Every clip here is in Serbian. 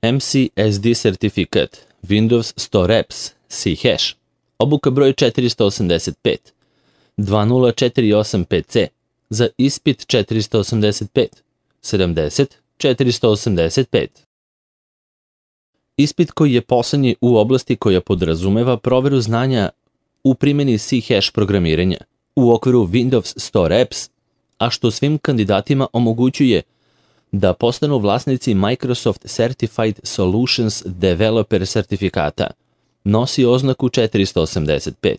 MCSD sertifikat, Windows Store Apps, C-Hash, obuka broj 485, 2048PC, za ispit 485, 70 485. Ispit koji je poslednji u oblasti koja podrazumeva proveru znanja u primjeni C-Hash programiranja u okviru Windows Store Apps, a što svim kandidatima omogućuje da postanu vlasnici Microsoft Certified Solutions Developer sertifikata, nosi oznaku 485,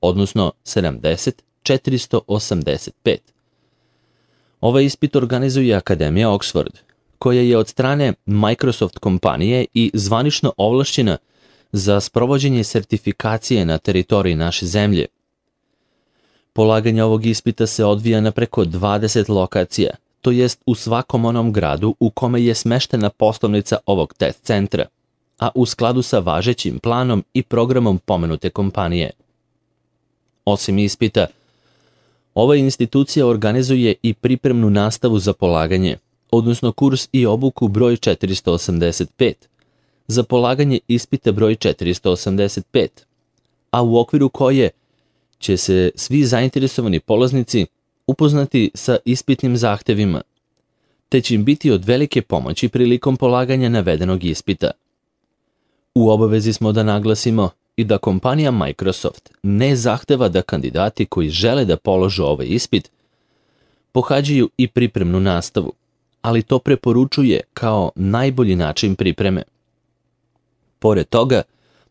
odnosno 70 485. Ovaj ispit organizuje Akademija Oxford, koja je od strane Microsoft kompanije i zvanično ovlašćena za sprovođenje sertifikacije na teritoriji naše zemlje. Polaganje ovog ispita se odvija na preko 20 lokacija, to jest u svakom onom gradu u kome je smeštena poslovnica ovog test centra, a u skladu sa važećim planom i programom pomenute kompanije. Osim ispita, ova institucija organizuje i pripremnu nastavu za polaganje, odnosno kurs i obuku broj 485, za polaganje ispita broj 485, a u okviru koje će se svi zainteresovani polaznici upoznati sa ispitnim zahtevima, te će im biti od velike pomoći prilikom polaganja navedenog ispita. U obavezi smo da naglasimo i da kompanija Microsoft ne zahteva da kandidati koji žele da položu ovaj ispit pohađaju i pripremnu nastavu, ali to preporučuje kao najbolji način pripreme. Pored toga,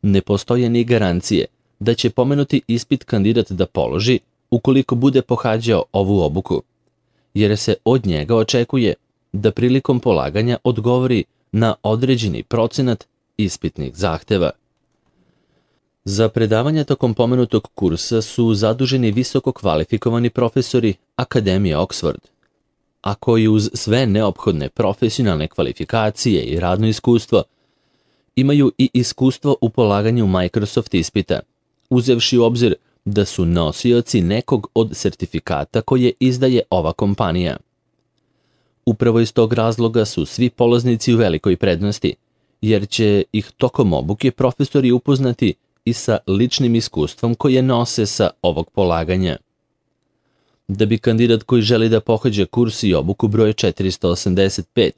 ne postoje ni garancije da će pomenuti ispit kandidat da položi ukoliko bude pohađao ovu obuku, jer se od njega očekuje da prilikom polaganja odgovori na određeni procenat ispitnih zahteva. Za predavanje tokom pomenutog kursa su zaduženi visoko kvalifikovani profesori Akademije Oxford, a koji uz sve neophodne profesionalne kvalifikacije i radno iskustvo imaju i iskustvo u polaganju Microsoft ispita, uzevši u obzir da su nosioci nekog od sertifikata koje izdaje ova kompanija. Upravo iz tog razloga su svi polaznici u velikoj prednosti, jer će ih tokom obuke profesori upoznati i sa ličnim iskustvom koje nose sa ovog polaganja. Da bi kandidat koji želi da pohađa kurs i obuku broj 485,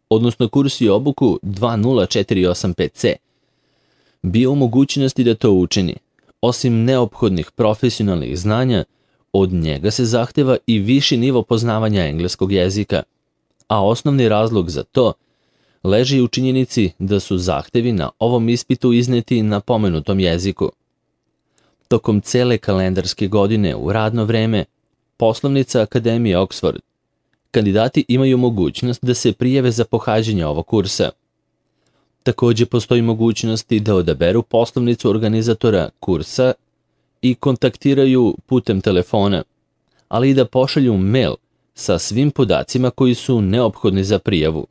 odnosno kurs i obuku 2048PC, bio u mogućnosti da to učini, osim neophodnih profesionalnih znanja, od njega se zahteva i viši nivo poznavanja engleskog jezika, a osnovni razlog za to leži u činjenici da su zahtevi na ovom ispitu izneti na pomenutom jeziku. Tokom cele kalendarske godine u radno vreme, poslovnica Akademije Oxford, kandidati imaju mogućnost da se prijave za pohađanje ovog kursa. Takođe postoji mogućnost da odaberu poslovnicu organizatora kursa i kontaktiraju putem telefona, ali i da pošalju mail sa svim podacima koji su neophodni za prijavu.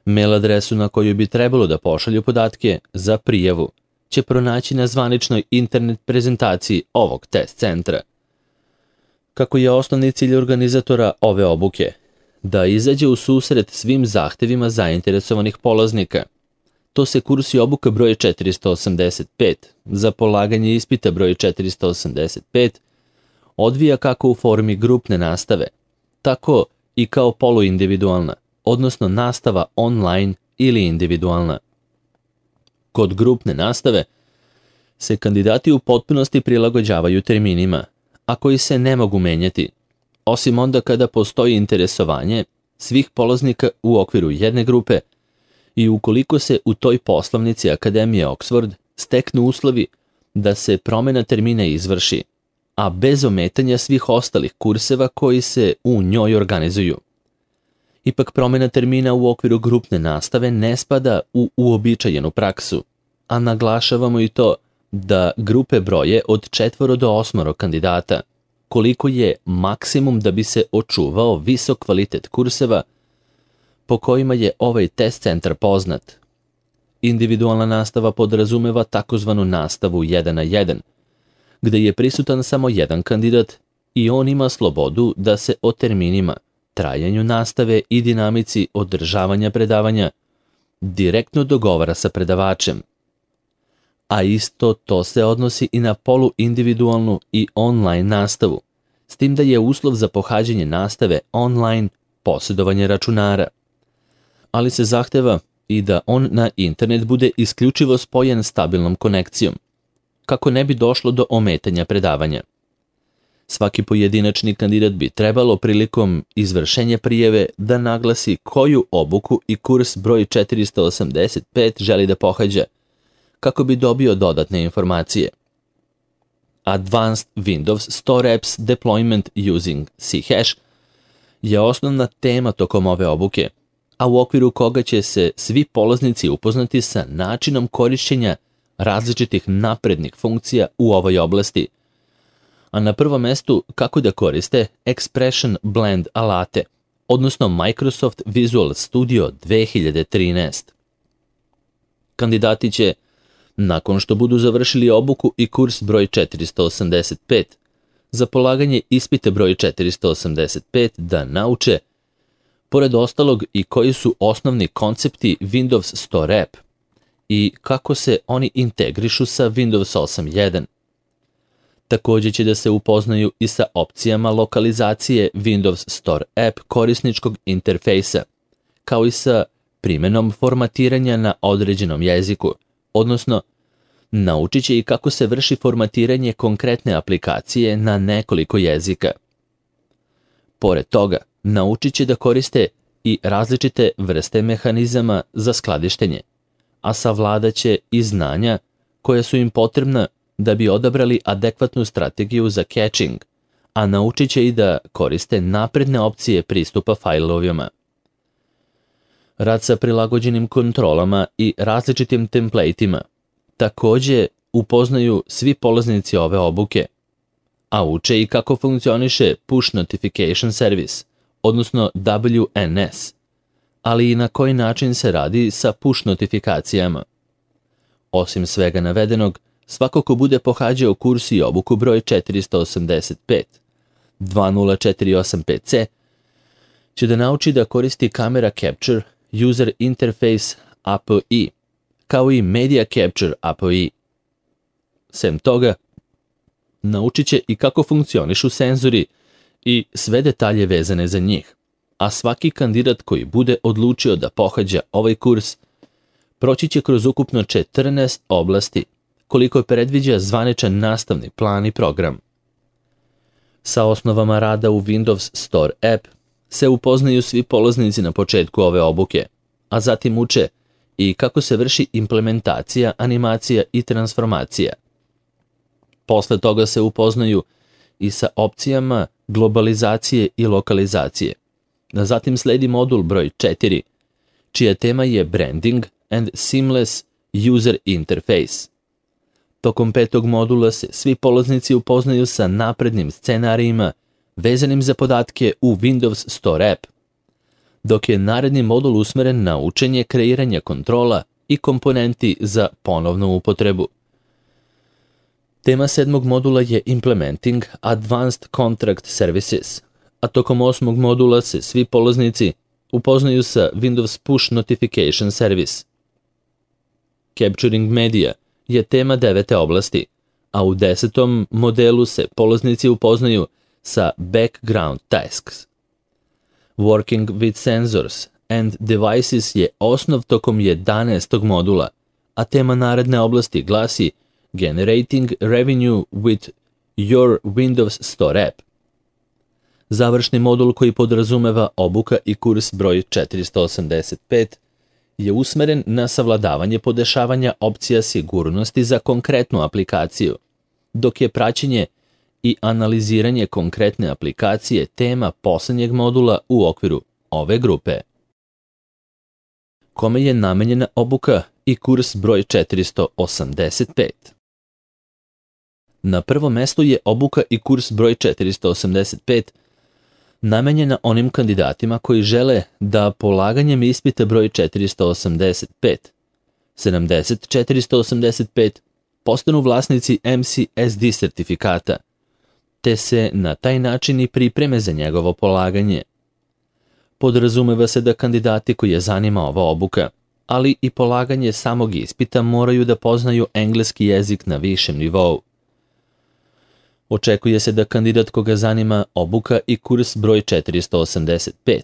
Mail adresu na koju bi trebalo da pošalju podatke za prijavu će pronaći na zvaničnoj internet prezentaciji ovog test centra. Kako je osnovni cilj organizatora ove obuke da izađe u susret svim zahtevima zainteresovanih polaznika, to se kurs i obuka broj 485 za polaganje ispita broj 485 odvija kako u formi grupne nastave, tako i kao poluindividualna, odnosno nastava online ili individualna. Kod grupne nastave se kandidati u potpunosti prilagođavaju terminima, a koji se ne mogu menjati, osim onda kada postoji interesovanje svih polaznika u okviru jedne grupe i ukoliko se u toj poslovnici Akademije Oxford steknu uslovi da se promena termina izvrši, a bez ometanja svih ostalih kurseva koji se u njoj organizuju. Ipak promena termina u okviru grupne nastave ne spada u uobičajenu praksu, a naglašavamo i to da grupe broje od 4 do 8 kandidata, koliko je maksimum da bi se očuvao visok kvalitet kurseva po kojima je ovaj test centar poznat. Individualna nastava podrazumeva takozvanu nastavu 1 na 1, gde je prisutan samo jedan kandidat i on ima slobodu da se o terminima, trajanju nastave i dinamici održavanja predavanja direktno dogovara sa predavačem. A isto to se odnosi i na poluindividualnu i online nastavu, s tim da je uslov za pohađanje nastave online posjedovanje računara. Ali se zahteva i da on na internet bude isključivo spojen stabilnom konekcijom, kako ne bi došlo do ometanja predavanja. Svaki pojedinačni kandidat bi trebalo prilikom izvršenja prijave da naglasi koju obuku i kurs broj 485 želi da pohađa, kako bi dobio dodatne informacije. Advanced Windows Store Apps Deployment Using C-Hash je osnovna tema tokom ove obuke, a u okviru koga će se svi polaznici upoznati sa načinom korišćenja različitih naprednih funkcija u ovoj oblasti, a na prvom mestu kako da koriste Expression Blend alate, odnosno Microsoft Visual Studio 2013. Kandidati će, nakon što budu završili obuku i kurs broj 485, za polaganje ispita broj 485 da nauče, pored ostalog, i koji su osnovni koncepti Windows Store App i kako se oni integrišu sa Windows 8.1. Također će da se upoznaju i sa opcijama lokalizacije Windows Store App korisničkog interfejsa, kao i sa primjenom formatiranja na određenom jeziku, odnosno naučit će i kako se vrši formatiranje konkretne aplikacije na nekoliko jezika. Pored toga, naučit će da koriste i različite vrste mehanizama za skladištenje, a savladat će i znanja koja su im potrebna da bi odabrali adekvatnu strategiju za caching, a naučit će i da koriste napredne opcije pristupa fajlovima. Rad sa prilagođenim kontrolama i različitim templateima također upoznaju svi polaznici ove obuke, a uče i kako funkcioniše Push Notification Service, odnosno WNS, ali i na koji način se radi sa push notifikacijama. Osim svega navedenog, svako ko bude pohađao kurs i obuku broj 485, 2045C, će da nauči da koristi Camera Capture User Interface API, kao i Media Capture API. Sem toga, naučit će i kako funkcionišu senzori i sve detalje vezane za njih, a svaki kandidat koji bude odlučio da pohađa ovaj kurs proći će kroz ukupno 14 oblasti, koliko predviđa zvaničan nastavni plan i program. Sa osnovama rada u Windows Store App se upoznaju svi polaznici na početku ove obuke, a zatim uče i kako se vrši implementacija, animacija i transformacija. Posle toga se upoznaju i sa opcijama globalizacije i lokalizacije. Zatim sledi modul broj 4, čija tema je Branding and Seamless User Interface. Tokom 5. modula se svi polaznici upoznaju sa naprednim scenarijima vezanim za podatke u Windows Store App, dok je naredni modul usmeren na učenje kreiranja kontrola i komponenti za ponovnu upotrebu. Tema 7. modula je Implementing Advanced Contract Services, a tokom 8. modula se svi polaznici upoznaju sa Windows Push Notification Service. Capturing Media je tema 9. oblasti, a u 10. modelu se polaznici upoznaju sa Background Tasks. Working with Sensors and Devices je osnov tokom 11. modula, a tema naredne oblasti glasi Generating Revenue with Your Windows Store App. Završni modul koji podrazumeva obuka i kurs broj 485 je usmeren na savladavanje podešavanja opcija sigurnosti za konkretnu aplikaciju, dok je praćenje i analiziranje konkretne aplikacije tema posljednjeg modula u okviru ove grupe. Kome je namenjena obuka i kurs broj 485? Na prvom mestu je obuka i kurs broj 485 namenjena onim kandidatima koji žele da polaganjem ispita broj 485, 70-485 postanu vlasnici MCSD sertifikata, te se na taj način i pripreme za njegovo polaganje. Podrazumeva se da kandidati koji je zanima ova obuka ali i polaganje samog ispita moraju da poznaju engleski jezik na višem nivou. Očekuje se da kandidat koga zanima obuka i kurs broj 485,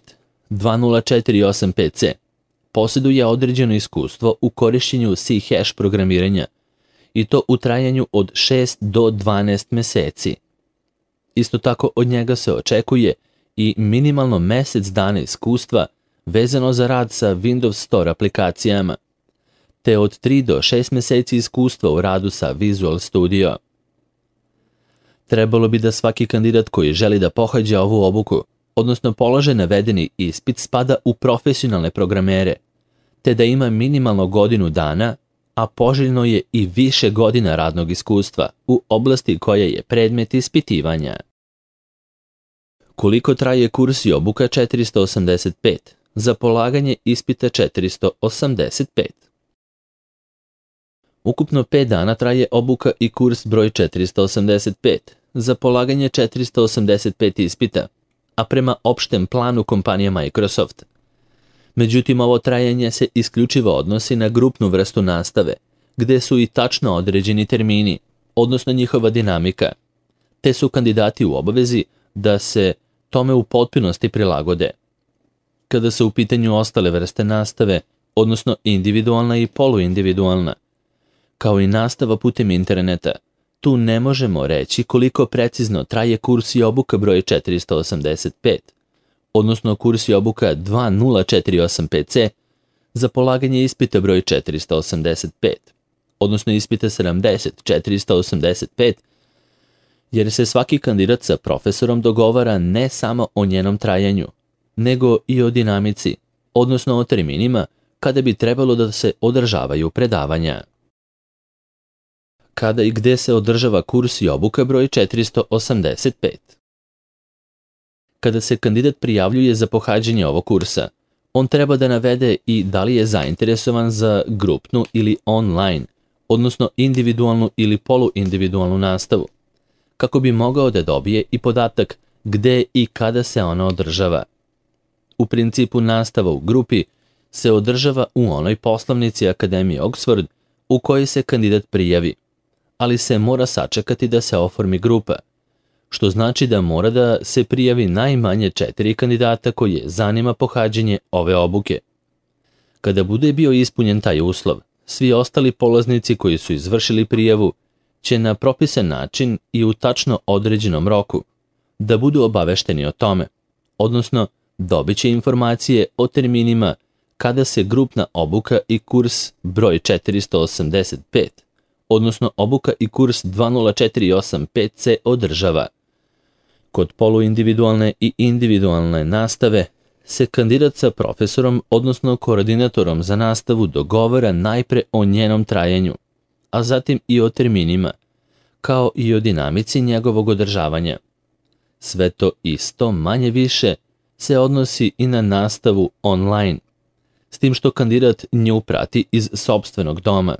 2048PC, posjeduje određeno iskustvo u korišćenju C# programiranja i to u trajanju od 6 do 12 meseci. Isto tako od njega se očekuje i minimalno mesec dana iskustva vezano za rad sa Windows Store aplikacijama, te od 3 do 6 meseci iskustva u radu sa Visual Studio. Trebalo bi da svaki kandidat koji želi da pohađa ovu obuku, odnosno polaže navedeni ispit, spada u profesionalne programere, te da ima minimalno godinu dana, a poželjno je i više godina radnog iskustva u oblasti koja je predmet ispitivanja. Koliko traje kurs i obuka 485 za polaganje ispita 485? Ukupno 5 dana traje obuka i kurs broj 485 za polaganje 485 ispita, a prema opštem planu kompanije Microsoft. Međutim, ovo trajanje se isključivo odnosi na grupnu vrstu nastave, gde su i tačno određeni termini, odnosno njihova dinamika, te su kandidati u obavezi da se tome u potpunosti prilagode. Kada su u pitanju ostale vrste nastave, odnosno individualna i poluindividualna, kao i nastava putem interneta, tu ne možemo reći koliko precizno traje kurs i obuka broj 485, odnosno kurs i obuka 2048PC za polaganje ispita broj 485, odnosno ispita 70-485, jer se svaki kandidat sa profesorom dogovara ne samo o njenom trajanju, nego i o dinamici, odnosno o terminima kada bi trebalo da se održavaju predavanja. Kada i gde se održava kurs i obuka broj 485? Kada se kandidat prijavljuje za pohađanje ovog kursa, on treba da navede i da li je zainteresovan za grupnu ili online, odnosno individualnu ili poluindividualnu nastavu, kako bi mogao da dobije i podatak gde i kada se ona održava. U principu nastava u grupi se održava u onoj poslovnici Akademije Oxford u kojoj se kandidat prijavi, ali se mora sačekati da se oformi grupa, što znači da mora da se prijavi najmanje 4 kandidata koje zanima pohađanje ove obuke. Kada bude bio ispunjen taj uslov, svi ostali polaznici koji su izvršili prijavu će na propisan način i u tačno određenom roku da budu obavešteni o tome, odnosno dobit će informacije o terminima kada se grupna obuka i kurs broj 485, odnosno obuka i kurs 2048PC održava. Kod poluindividualne i individualne nastave se kandidat sa profesorom, odnosno koordinatorom za nastavu dogovara najpre o njenom trajanju, a zatim i o terminima, kao i o dinamici njegovog održavanja. Sve to isto manje više se odnosi i na nastavu online, s tim što kandidat nju prati iz sopstvenog doma,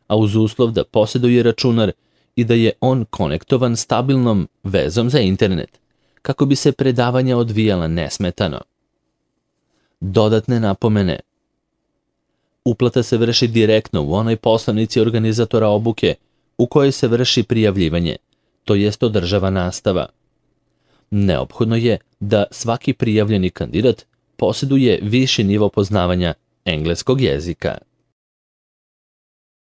a uz uslov da posjeduje računar i da je on konektovan stabilnom vezom za internet, kako bi se predavanja odvijala nesmetano. Dodatne napomene. Uplata se vrši direktno u onoj poslovnici organizatora obuke u kojoj se vrši prijavljivanje, to jest održava nastava. Neophodno je da svaki prijavljeni kandidat posjeduje viši nivo poznavanja engleskog jezika.